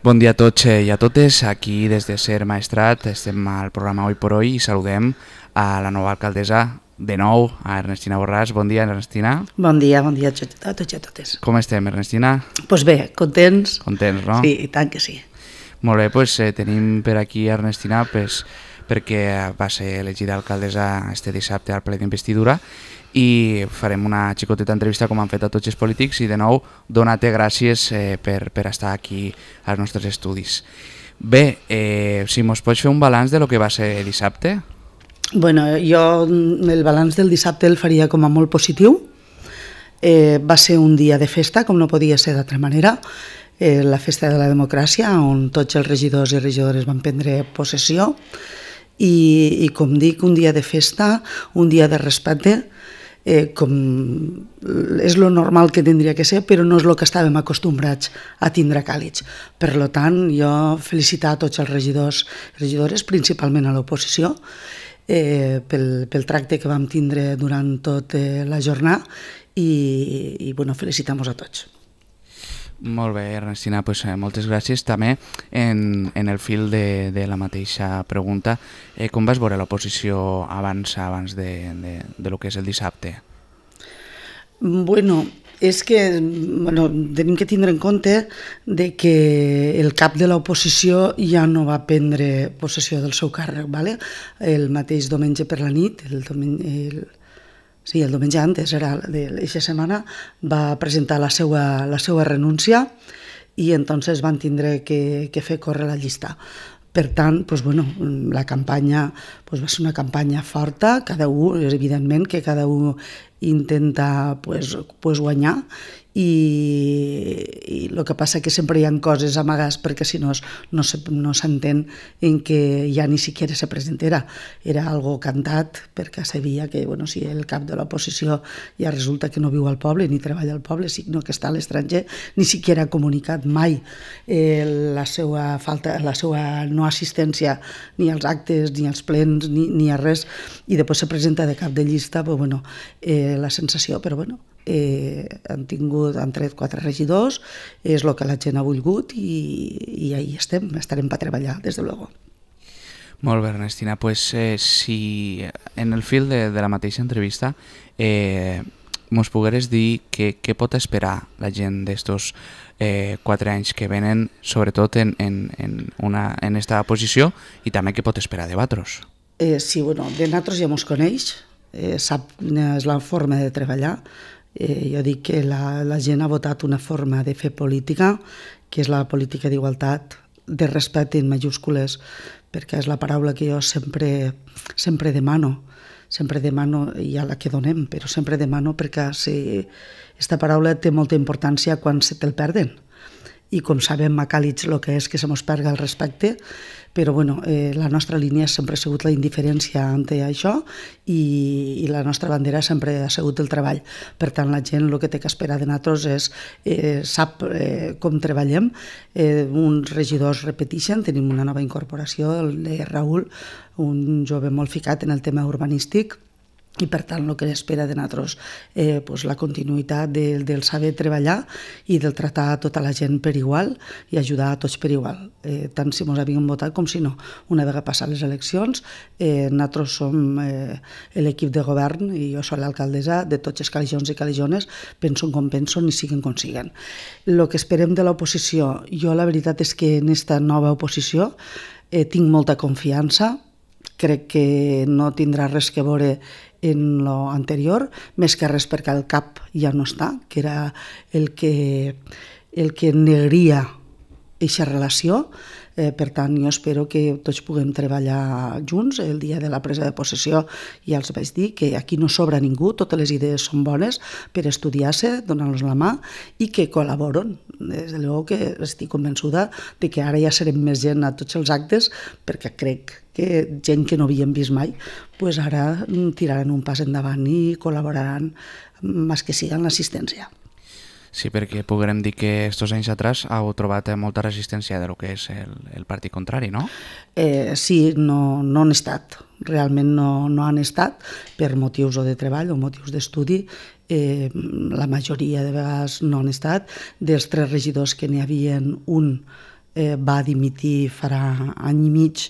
Bon dia a tots i a totes, aquí des de Ser Maestrat estem al programa Hoy por Hoy i saludem a la nova alcaldessa, de nou, a Ernestina Borràs. Bon dia, Ernestina. Bon dia a tots i a totes. Com estem, Ernestina? Doncs bé, contents. Contents, no? Sí, i tant que sí. Molt bé, doncs tenim per aquí Ernestina perquè va ser elegida alcaldessa este dissabte al ple d'investidura i farem una xicoteta entrevista com han fet a tots els polítics i de nou donar-te gràcies per estar aquí als nostres estudis. Bé, si mos pots fer un balanç de lo que va ser dissabte? Bueno, jo el balanç del dissabte el faria com a molt positiu. Va ser un dia de festa, com no podia ser d'altra manera, la festa de la democràcia, on tots els regidors i regidores van prendre possessió i com dic, un dia de festa, un dia de respecte, com és lo normal que tindria que ser, però no és el que estàvem acostumbrats a tindre a Càlig. Per tant, jo felicitar a tots els regidors i regidores, principalment a l'oposició, pel tracte que vam tindre durant tota la jornada i felicitar-nos a tots. Molt bé, Ernestina, moltes gràcies. També en el fil de la mateixa pregunta, com vas veure l'oposició abans de lo que és el dissabte? Bueno, és que tenim que tindre en compte de que el cap de l'oposició ja no va prendre possessió del seu càrrec, ¿vale? El mateix diumenge per la nit, el diumenge antes, era d'aquesta setmana, va presentar la seva renúncia i entonces van tindre que fer córrer la llista. Per tant, la campanya va ser una campanya forta, evidentment que cada un intenta guanyar i el que passa que sempre hi ha coses amagades perquè si no s'entén en què ja ni siquiera se presentera. Era algo cantat perquè sabia que si el cap de l'oposició ja resulta que no viu al poble ni treballa al poble, sinó que està a l'estranger, ni siquiera ha comunicat mai la seva no assistència ni als actes, ni als plens, ni a res, i després se presenta de cap de llista, la sensació, però han tret 4 regidors, és el que la gent ha volgut i ahí estarem per treballar, des de luego. Molt bé, Ernestina, si en el fil de la mateixa entrevista mos pogueres dir què pot esperar la gent d'estos 4 anys que venen, sobretot en esta posició, i també què pot esperar de vosaltres? Sí, de nosaltres ja mos coneix, sap quina és la forma de treballar. Jo dic que la gent ha votat una forma de fer política, que és la política d'igualtat, de respecte en majúscules, perquè és la paraula que jo sempre demano, i a la que donem, però sempre demano perquè aquesta paraula té molta importància quan se te'l perden. I com sabem a Càlig el que és que se mos perga el respecte, però la nostra línia sempre ha sigut la indiferència ante això i la nostra bandera sempre ha sigut el treball. Per tant, la gent el que té que esperar de nosaltres sap com treballem. Uns regidors repeteixen, tenim una nova incorporació, el de Raül, un jove molt ficat en el tema urbanístic, i per tant el que espera de nosaltres la continuïtat del saber treballar i del tractar a tota la gent per igual i ajudar a tots per igual, tant si ens havien votat com si no. Una vegada passat les eleccions, nosaltres som l'equip de govern i jo soc l'alcaldessa de tots els calijons i calijones, pensen com pensen i siguen com siguen. El que esperem de l'oposició, jo la veritat és que en aquesta nova oposició tinc molta confiança, crec que no tindrà res que veure en l'anterior, més que res perquè el cap ja no està, que era el que negria aquesta relació. Per tant, jo espero que tots puguem treballar junts. El dia de la presa de possessió ja els vaig dir que aquí no sobra ningú, totes les idees són bones per estudiar-se, donar-los la mà i que col·laboren. Des de luego que estic convençuda de que ara ja serem més gent a tots els actes, perquè crec que gent que no havíem vist mai, ara tiraran un pas endavant i col·laboraran més que siga en l'assistència. Sí, perquè podrem dir que estos anys atrás heu trobat molta resistència de lo que és el partit contrari, no? Sí, no han estat. Realment no han estat per motius o de treball o motius d'estudi. La majoria de vegades no han estat. Dels 3 regidors que n'hi havia un va dimitir farà any i mig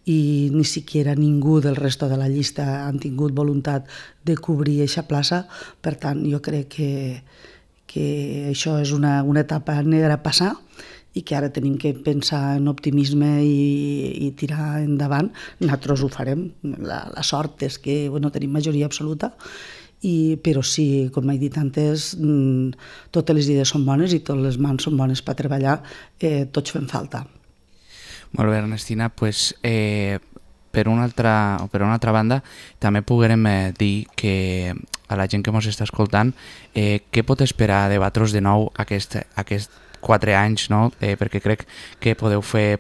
i ni siquiera ningú del resto de la llista han tingut voluntat de cobrir aquesta plaça. Per tant, jo crec que això és una etapa negra a passar i que ara tenim que pensar en optimisme i tirar endavant. Nosaltres ho farem. La sort és que tenim majoria absoluta, però sí, com he dit antes, totes les idees són bones i totes les mans són bones per treballar, tots fem falta. Molt bé, Ernestina, pues, per una altra banda, també puguem dir que a la gent que ens està escoltant, què pot esperar de vosaltres de nou aquest 4 anys, no? Perquè crec que podeu fer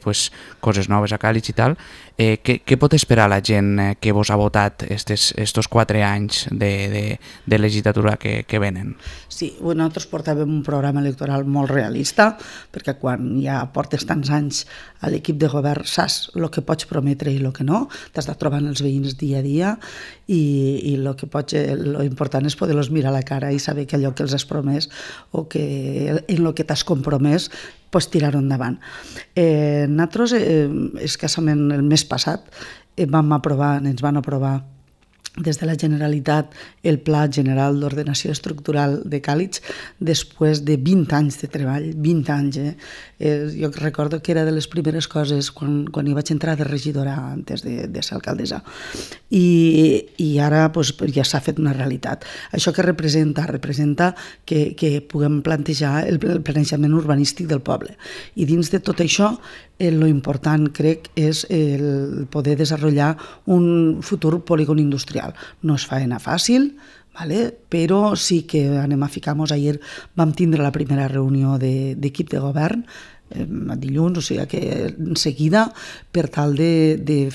coses noves a Càlig i tal. Què pot esperar la gent que vos ha votat estos 4 anys de legislatura que venen? Sí, nosaltres portàvem un programa electoral molt realista, perquè quan ja portes tants anys a l'equip de govern saps el que pots prometre i el que no, t'has de trobar els veïns dia a dia i lo important és poder-los mirar a la cara i saber que allò que els has promès o que en el que t'has compromès tirar-ho endavant. Nosaltres, escassament el mes passat, ens van aprovar des de la Generalitat el Pla General d'Ordenació Estructural de Càlig després de 20 anys de treball, 20 anys. Jo recordo que era de les primeres coses quan hi vaig entrar de regidora antes de ser alcaldessa. I ara ja s'ha fet una realitat. Això que representa que puguem plantejar el planejament urbanístic del poble. I dins de tot això, lo important, crec, és el poder desenvolupar un futur polígon industrial. No és feina fàcil, però sí que anem a ficar-nos. Ahir vam tindre la primera reunió d'equip de govern, dilluns, o sigui que en seguida, per tal de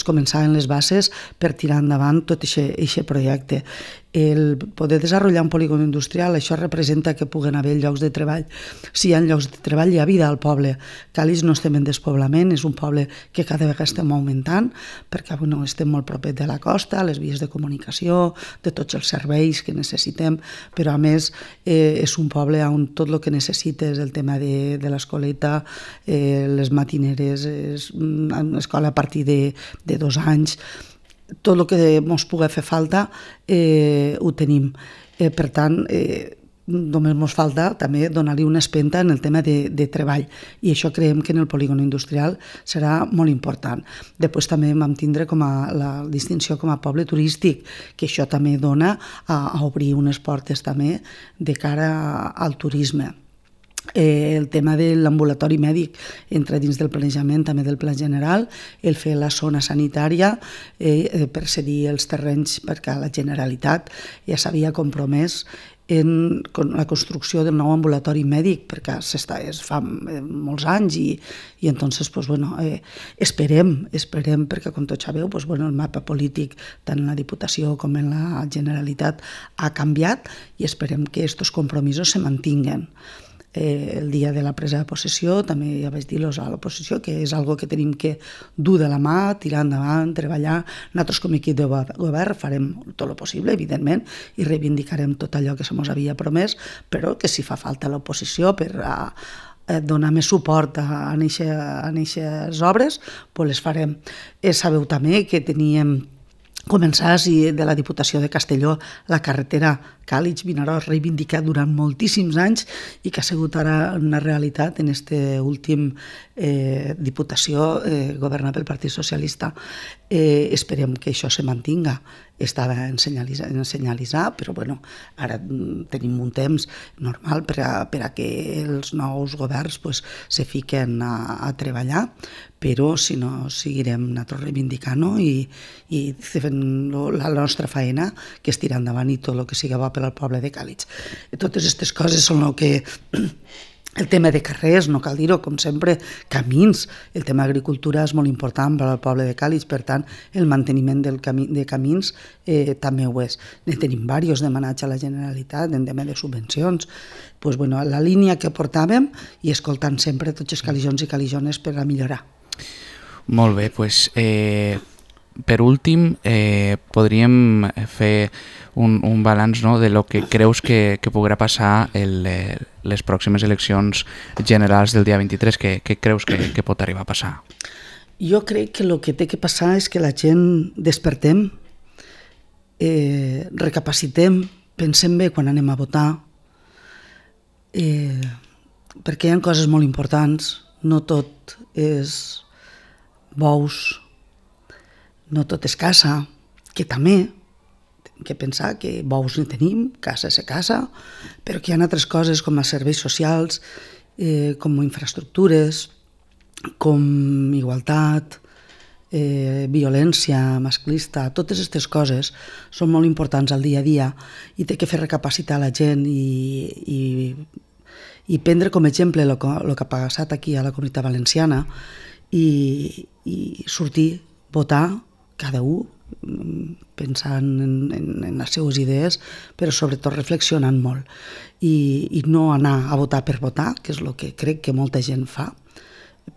començar en les bases per tirar endavant tot aquest projecte. El poder desenvolupar un polígon industrial, això representa que puguen haver llocs de treball. Si hi ha llocs de treball, hi ha vida al poble. Càlig no estem en despoblament, és un poble que cada vegada estem augmentant, perquè estem molt propet de la costa, les vies de comunicació, de tots els serveis que necessitem, però a més és un poble on tot el que necessites, el tema de l'escoleta, les matineres, escola a partir de 2 anys, tot el que ens pugui fer falta ho tenim. Per tant, només ens falta també donar-li una espenta en el tema de treball, i això creiem que en el polígon industrial serà molt important. Després també vam tindre com a la distinció com a poble turístic, que això també dona a obrir unes portes també de cara al turisme. El tema de l'ambulatori mèdic entra dins del planejament també del Pla General, el fer la zona sanitària per cedir els terrenys, perquè la Generalitat ja s'havia compromès en la construcció d'un nou ambulatori mèdic, perquè es fa molts anys i entonces esperem, perquè com tots sabeu el mapa polític tant en la Diputació com en la Generalitat ha canviat i esperem que aquests compromisos se mantinguen. El dia de la presa de possessió també ja vaig dir-los a l'oposició que és algo que tenim que dur de la mà, tirar endavant, treballar. Nosaltres com a equip de govern farem tot el possible, evidentment, i reivindicarem tot allò que se mos havia promès, però que si fa falta l'oposició per donar més suport a aquestes obres, les farem. Sabeu també que teníem començar de la Diputació de Castelló la carretera Càlig-Vinaròs, reivindicat durant moltíssims anys i que ha sigut ara una realitat en aquesta última Diputació governada pel Partit Socialista. Esperem que això se mantinga. Estava en senyalitzar, però ara tenim un temps normal per a que els nous governs se fiquen a treballar, però si no seguirem nosaltres reivindicant-ho i fent la nostra feina, que és tirar endavant i tot el que sigui bo per al poble de Càlig. Totes aquestes coses són el que... El tema de carrers, no cal dir-ho, com sempre, camins. El tema d'agricultura és molt important per al poble de Càlig, per tant, el manteniment de camins també ho és. Ne tenim diversos demanats a la Generalitat en tema de subvencions. La línia que portàvem i escoltant sempre tots els calijons i calijones per a millorar. Molt bé, doncs per últim, podríem fer un balanç, no, de lo que creus que podrà passar les pròximes eleccions generals del dia 23. Què creus que pot arribar a passar? Jo crec que el que té que passar és que la gent despertem, recapacitem, pensem bé quan anem a votar, perquè hi ha coses molt importants, no tot és bous, no tot és casa, que també hem de pensar que bous ne tenim, casa és casa, però que hi ha altres coses com els serveis socials, com infraestructures, com igualtat, violència masclista, totes aquestes coses són molt importants al dia a dia i té que fer recapacitar la gent i prendre com a exemple el que ha passat aquí a la Comunitat Valenciana i sortir, votar, cada un pensant en les seues idees, però sobretot reflexionant molt i no anar a votar per votar, que és el que crec que molta gent fa,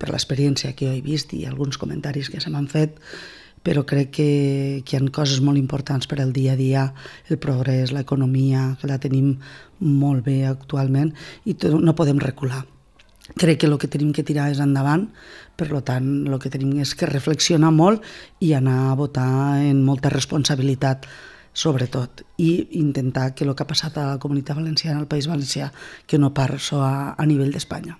per l'experiència que jo he vist i alguns comentaris que se m'han fet, però crec que hi ha coses molt importants per al dia a dia, el progrés, l'economia, que la tenim molt bé actualment i no podem recular. Crec que el que tenim que tirar és endavant, per tant, el que tenim és que reflexionar molt i anar a votar en molta responsabilitat, sobretot, i intentar que el que ha passat a la Comunitat Valenciana, al País Valencià, que no passi a nivell d'Espanya.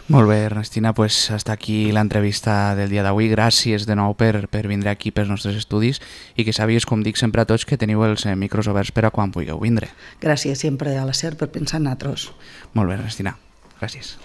Molt bé, Ernestina, pues hasta aquí l'entrevista del dia d'avui. Gràcies de nou per vindre aquí pels nostres estudis i que sàpies, com dic sempre a tots, que teniu els micros oberts per a quan vulgueu vindre. Gràcies sempre a la SER per pensar en nosaltres. Molt bé, Ernestina. Gràcies.